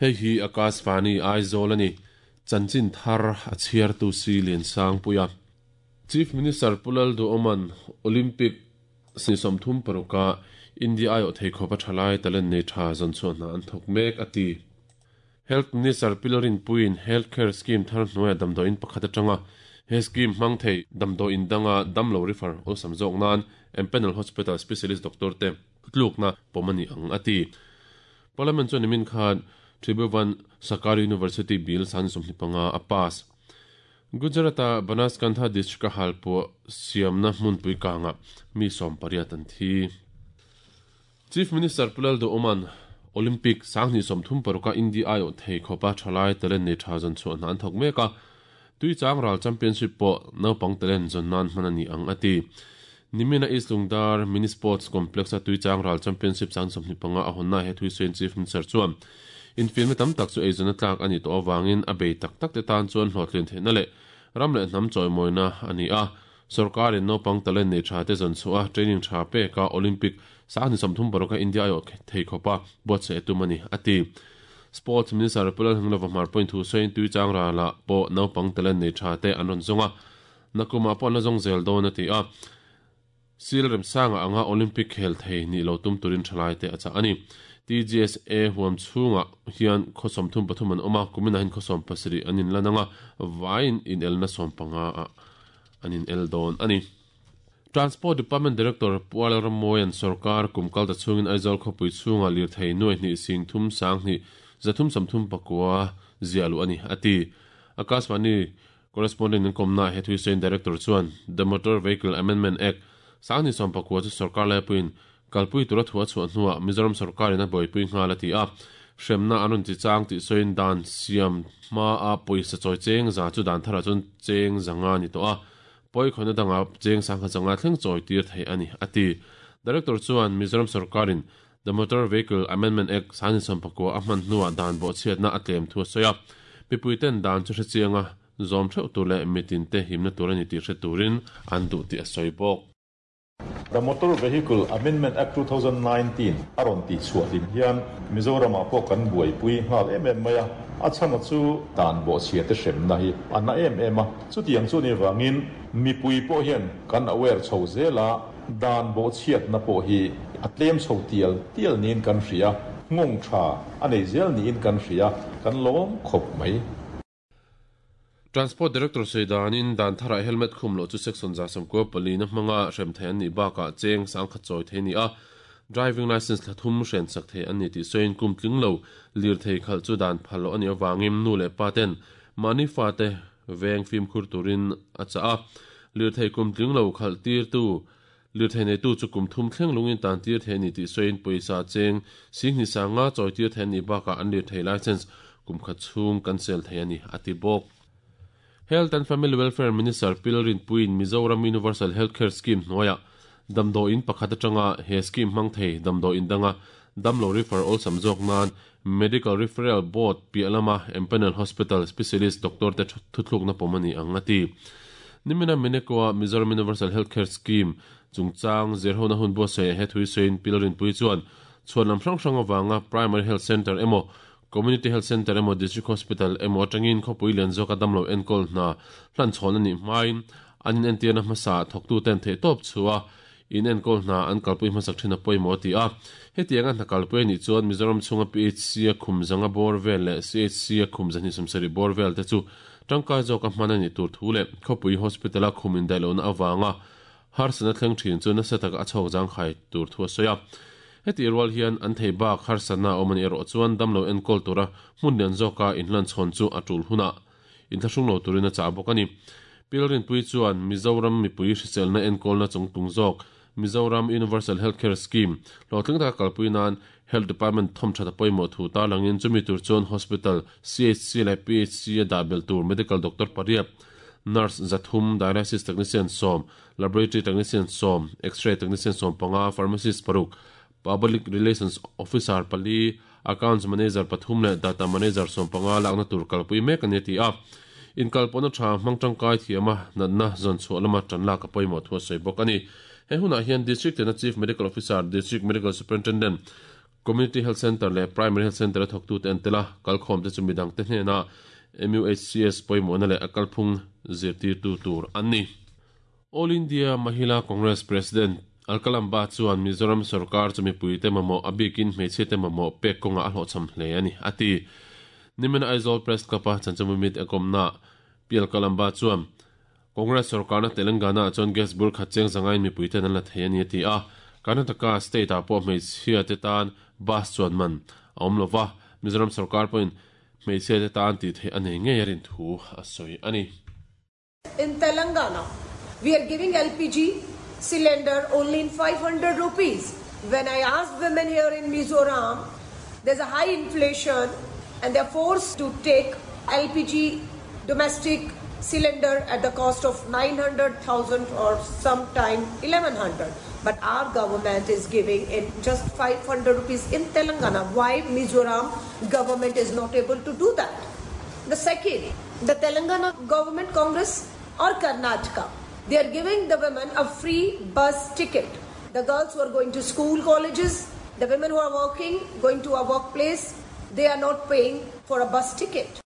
Hei hi Akashvani Aizawl a ni. Chanchin thar a chhiartu si Liansangpuia. Chief Minister Pu Lalduhoma'n Olympic ni 36 a India aiawh thei khawp a thalai talent nei tha zawn chhuah hna an thawk mek a ti. Health Minister Pi Lalrinpuiin Health Care Scheme thar hnuaiah damdawiin pakhat atanga he scheme hmang thei damdawiin danga damlo refer awlsam zawk nan Empanel Hospital Specialist Doctor te tlukna pawm a ni ang a ti. Parliament chuan nimin khan Tribhuvan Sarkar University Bill 25 a pass. Gujarat-a Banaskantha district-a halpuah siamna hmunpui kangah mi 18 an thi. Chief Minister Pu Lalduhoma'n Olympic 2036-a India aiawh thei khawpa thalai talent nei tha zawn chhuah hna an thawk mek a, Tuichang ral championship pawh naupang talent zawn nan hman a ni ang a ti. Nimina East Lungdar Mini Sports Complex-a Tuichang ral championship 25 a hawnna he Thuisain Chief Minister chuan infiamna tam tak chu eizawnna tlak a nih tawh avangin a bei tak tak te tan chuan hlawhtlin theihna leh ram leh hnam chawimawina a ni a. Sorkarin naupang talent nei tha te zawn chhuah a, training tha pek a, Olympic 2036 a India aiawh thei khawpa buatsaih a tum a ni, a ti. Sports Minister Pu Lalhunglova Hmar pawhin thu sawiin Tuichang ralah pawh naupang talent nei tha te an rawn zawng a, Nakumah pawh an la zawng zel dawn a ti a, Sil Remsanga anga Olympic khel thei nih lo tum turin thalaite a chah a ni. TGSA huam chhungah hian khaw 33 an awm a, kuminah hian khaw 17 an inlan anga, vaiin inelna 15 ah an inel dawn a ni. Transport Department Director Pu Alel Rammawia'n sorkar kum kal ta chhungin Aizawl khawpui chhungah lirthei nuai hnih sing thum sang hnih 339 ziah luh a ni, a ti. Akashvani Correspondent in kawmna he Thuisain Director chuan The Motor Vehicle Amendment Act 2019 chu sorkar laipuiin kalpui tura thu a chhuah hnuah Mizoram sorkarin a buaipui nghal a ti a. Hremna an rawn ti chang tih sawiin dan siam hmaa pawisa chawi cheng za chu dan tharah chuan cheng zanga ni tawh a, pawi khawihna dangah cheng sangha zanga thleng chawi tir theih a ni, a ti. Director chuan Mizoram sorkarin The Motor Vehicle Amendment Act 2019 a hman hnuah dan bawhchhiatna a tlem thu a sawi a, mipuiten dan chu hrechianga zawm theuh tur leh mitinte himna tur a ni tih hre turin an duh tih a sawi bawk. The Motor Vehicle Amendment Act 2019 a rawn tih chhuah hlim hian Mizoramah pawh kan buaipui nghal em em mai a, a chhana chu dan bawhchhiate hremna hi a na em em a, chutiang chu ni vangin mipui pawh hian kan aware chho zel a, Dan bawhchhiatna pawh hi a tlem chho tial tial niin kan hria, nghawng tha a nei zel niin kan hria, kan lawm khawp mai. Transport Director sawi danin dan tharah helmet khum loh chu Section 94 na hmanga hrem thei an nih bakah cheng sangkhat chawi thei a ni a, driving licence thla thum hren sak thei an ni tih sawiin kum tling lo lirthei khalh chu dan phal loh a nih avangin nu leh pa ten mahni fate veng fimkhur turin a chah a. Lirthei kum tling lo khalh tirtu, lirthei neitu chu kum thum thleng lungin tan tir thei a ni tih sawiin pawisa cheng sing hnih sanga chawi tir thei an nih bakah an lirthei licence kum khat chhung cancel thei a ni, a ti bawk. Health and Family Welfare Minister Pi Lalrinpuiin Mizoram Universal Health Care Scheme hnuaiah damdawiin pakhat atanga he scheme hmang thei damdawiin danga damlo refer awlsam zawk nan Medical Referral Board piah lama Empanel Hospital Specialist Doctor te thuthlukna pawm a ni ang, a ti. Nimina Meneko-a Mizoram Universal Health Care Scheme chungchang zirhona hun buatsaihah he thui sawiin Pi Lalrinpuii chuan chhuan lam hrang hrang avanga Primary Health Centre emaw Community Health Centre emaw District Hospital emaw atangin khawpui lian zawka damlo enkawl hna hlanchhawn a nih hmain an inentirna hmasa thawktuten theihtawp chhuah In enkawl hna an kalpui hmasak thin a pawimawh a ti a. Hetianga hna kalpui a nih chuan Mizoram chhunga PHC a khum zanga bawr vel leh CHC a khum zahnih sawmsarih bawr vel te chu tangkai zawka hman a nih tur thu leh khawpui hospital a khum indaih lohna avanga harsatna thleng thin chu nasa taka a chhawk zangkhai tur thu a sawi a. Hetih rual hian an thei bak harsatna a awm a nih erawh chuan damlo enkawl tura hmun lian zawka inhlanchhawn chu a tul hunah inthlahrung lo turin a chah bawk a ni. Pilrinpui chuan Mizoram mipui hriselna enkawlna chungtlung zawk Mizoram Universal Health Care Scheme hlawhtling taka kalpui nan Health Department thawmthat a pawimawh thu tarlangin chumi tur chuan Hospital, CHC leh PHC a dah belh tur Medical Doctor pariat, Nurse 300, Dialysis Technician 10, Laboratory Technician 10, X-ray Technician 15, Pharmacist paruk, Public Relations Officer pali, Accounts Manager pathum leh Data Manager 15 lakna tur kalpui mek a ni a ti a. Inkalpawhna tha hmang tangkai thiama natna zawn chhuah lama tan lak a pawimawh thu a sawi bawk a ni. He hunah hian District tena Chief Medical Officer, District Medical Superintendent, Community Health Centre leh Primary Health Centre a thawktute an tel a, kalkhawmte chu midangte hnena MUHCS pawimawhna leh a kalphung zirtirtu tur an ni. All India Mahila Congress President Alka Lamba chuan Mizoram sorkar chu mipuite mamawh a bikin hmeichhiate mamawh pek kawngah a hlawhchham hle a ni, a ti. Nimina Aizawl Press Club-a Chanchamumit a kawmnaah Pi Alka Lamba chuan Congress sorkarna Telangana-ah chuan gas bur khat cheng zangain mipuiten an la thei a ni a ti a, Karnataka state-ah pawh hmeichhiate tan bus chuan man a awm lo va, Mizoram sorkar pawhin hmeichhiate tan tih theih a nei ngei a rin thu a sawi a ni. In Telangana, we are giving LPG cylinder only in 500 rupees. When I asked women here in Mizoram, there's a high inflation and they're forced to take LPG domestic cylinder at the cost of 900,000 or sometime 1100. But our government is giving in just 500 rupees in Telangana. Why Mizoram government is not able to do that? The second, the Telangana government, Congress or Karnataka, they are giving the women a free bus ticket. The girls who are going to school, colleges, the women who are working, going to a workplace, they are not paying for a bus ticket.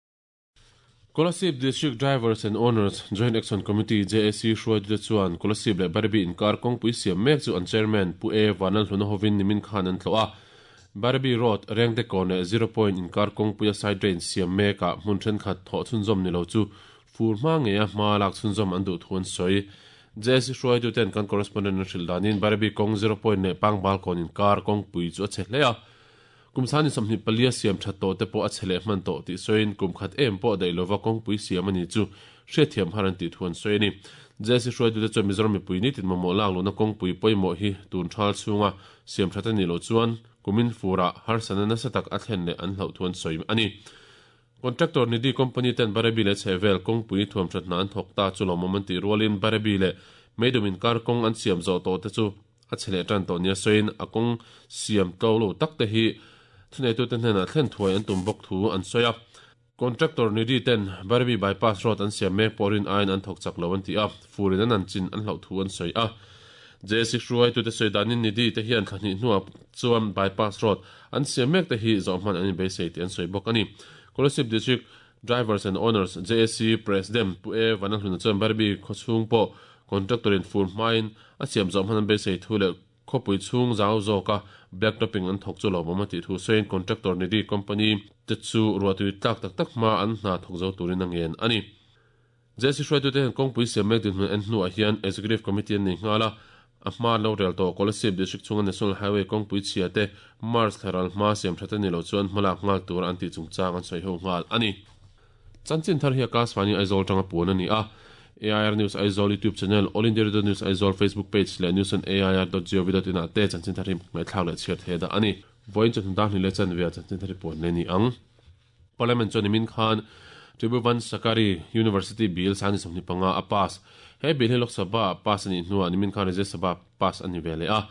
Kolasib District Drivers and Owners Joint Action Committee, JAC, hruaitute chuan Kolasib leh Barabi inkar kawngpui siam mek chu an Chairman Pu A Vanlalhluna hovin nimin khan an tlawh a. Barabi Road, Rengte leh Zero Point inkar kawngpuia side drain siam mekah hmun thenkhat thawh chhunzawm ni lo chu fur hma ngeia hma lak chhunzawm an duh thu an sawi. JAC hruaituten kan correspondent an hrilh danin Barabi kawng Zero Point leh Pangbal kawn inkar kawngpui chu a chhe hle a. Kum sani 24 a siam that tawh te pawh a chhe leh hman tawh tih sawiin kum khat em pawh daih lova kawngpui siam a ni chu hriatthiam har an tih thu an sawi a ni. JAC hruaitute chuan Mizoram mipui nitin mamawh lak luhna kawngpui pawimawh hi tun thal chhunga siam that a nih loh chuan kumin furah harsatna nasa tak a thlen leh an hlauh thu an sawi a ni. Contractor Nidhi Company ten Barebi leh chhehvel kawngpui thuam that hna an thawk ta chu lawmawm an tih rualin Barebi leh Meidum inkar kawng an siam zawh tawh te chu a chhe leh tan tawh nia sawiin a kawng siam tlo lo tak te hi thuneitute hnenah thlen thuai an tum bawk thu an sawi a. Contractor Nidhi ten Barebi Bypass Road an siam mek pawh rin aiin an thawk chak lo an ti a, furin an an chin an hlauh thu an sawi a. JAC hruaitute sawi danin Nidhi te hian thla hnih hnuah chuan Bypass Road an siam mek te hi zawh hman an inbeisei tih an sawi bawk a ni. Kolasib District Drivers and Owners, JAC, President Pu A Vanlalhluna chuan Barbie khawchhung pawh contractor in fur hmain a siam zawh hman an beisei thu leh khawpui chhung zau zawka black topping an thawk chu lawmawm a tih thu sawiin contractor Nidhi Company te chu ruahtui tlak tak tak hma an hna thawk zo turin a ngen a ni. JAC hruaitute hian kawngpui siam mek dinhmun en hnuah hian Executive Committee an nei nghal a, a hma an lo rel tawh. Kolasib District chhunga National Highway kawngpui chhia te March thla ral hma siam that a ni lo chuan hmalak nghal tur an tih chungchang an sawi ho nghal a ni. Chanchin thar hi Akashvani Aizawl tanga puan a ni a, AIR News Aizawl YouTube channel, All India Radio News Aizawl Facebook page leh news on air dot gov dot in ah te chanchin thar hi ngaihthlak leh chhiar thei dah a ni. Vawiin chawhnu dar hnih leh chanve ah chanchin thar hi puan leh a ni ang. Parliament chuan nimin khan Tribhuvan Sahkari University Bill 25 a pass. He bill hi Lok Sabha pass a nih hnuah nimin khan Rajya Sabha pass a ni ve leh a.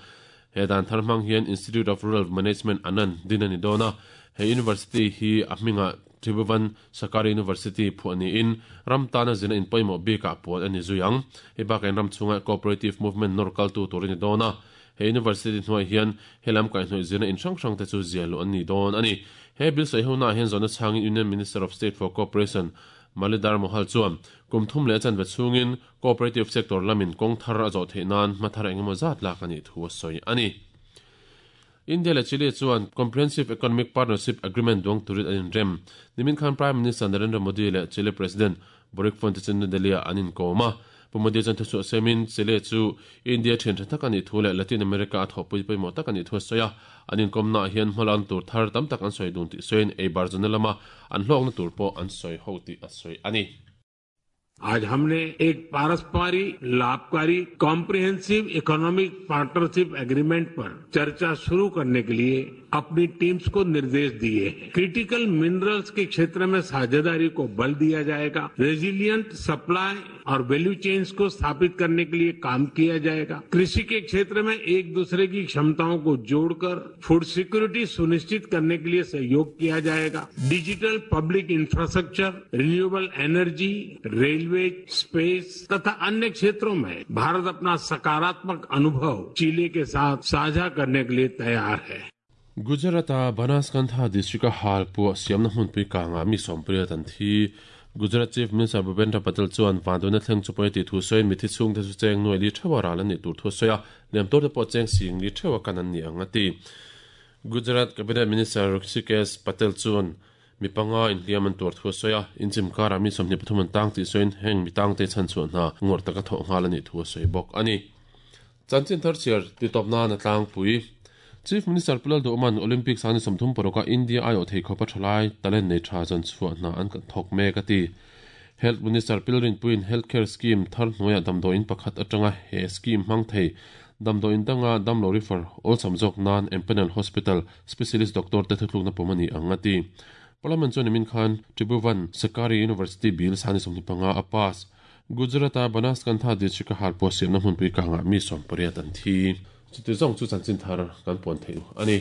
He dan thar hmang hian Institute of Rural Management Anand din a ni dawn a. He university hi a hmingah Tribhuvan Sahkari University phuah niin ram tana zirna in pawimawh bikah puan a ni zui ang. Hei bakah in ram chhunga cooperative movement nawr kaltu tur a ni dawn a. He university hnuaiah hian he lam kaihhnawih zirna in hrang hrang te chu ziah luh an ni dawn a ni. He bill sawi ho naah hian zawhna chhangin Union Minister of State for Cooperation Malidhar Mohal chuan kum thum leh a chanve chhungin cooperative sector lamin kawng thar a zawh theih nan hma thar engemaw zat lak a nih thu a sawi a ni. India leh Chile chuan Comprehensive Economic Partnership Agreement duang turin an inrem. Nimin khan Prime Minister Narendra Modi leh Chile President Boric Font te chu New Delhi-ah an inkawm a. Pu Modi chuan thuchhuah siamin Chile chu India thian tha tak a nih thu leh Latin America a thawhpui pawimawh tak a nih thu a sawi a. An inkawmnaah hian hmalan tur thar tam tak an sawi dun tih sawiin ei bar zawna lama an hlawkna tur pawh an sawi ho tih a sawi a ni. आज हमने एक पारस्परिक लाभकारी comprehensive economic partnership agreement पर चर्चा शुरू करने के लिए अपनी टीम्स को निर्देश दिए हैं। क्रिटिकल मिनरल्स के क्षेत्र में साझेदारी को बल दिया जाएगा, रेजिलिएंट सप्लाई और वैल्यू चेन्स को स्थापित करने के लिए काम किया जाएगा। कृषि के क्षेत्र में एक दूसरे की क्षमताओं को जोड़कर फूड सिक्योरिटी सुनिश्चित करने के लिए सहयोग किया जाएगा। Digital public infrastructure, renewable energy, railway, space तथा अन्य क्षेत्रों में भारत अपना सकारात्मक अनुभव चिली के साथ साझा करने के लिए तैयार है। Gujarat-a Banaskantha district-a halpuah siamna hmunpui kangah mi sawmpariat an thi. Gujarat Chief Minister Bhupendra Patel chuan vanduaina thleng chu pawi a tih thu sawiin mithi chhungte chu cheng nuai li theuha ral an nih tur thu a sawi a, liam tawrte pawh cheng sing li theuha kan an ni ang a ti. Gujarat Cabinet Minister Rishikesh Patel chuan mi panga inhliam an tuar thu a sawi a, inchim karah mi 23 an tang tih sawiin heng mi tangte chhanchhuah hna ngawrh taka thawh nghal a nih thu a sawi bawk a ni. Chanchin thar chhiar titawp nan a tlangpui. Chief Minister Pu Lalduhman Olympics a ni 36 a India aiawh thei khawpa thalai talent nei tha zawn chhuah hna an thawk mek a ti. Health Minister Pil Rinpuiin Health Care Scheme thar hnuaiah damdawiin pakhat atanga he scheme hmang thei damdawiin danga damlo refer awlsam zawk nan Empanel Hospital Specialist Doctor te thuthlukna pawm a ni ang a ti. Parliament chuan nimin khan Tribhuvan Sahkari University Bill sani 25 a pass. Gujarat-a Banaskantha district-a halpuah siamna hmunpui kangah mi 18 an thi. Chuti zawng chu chanchin thar kan puan theih a ni.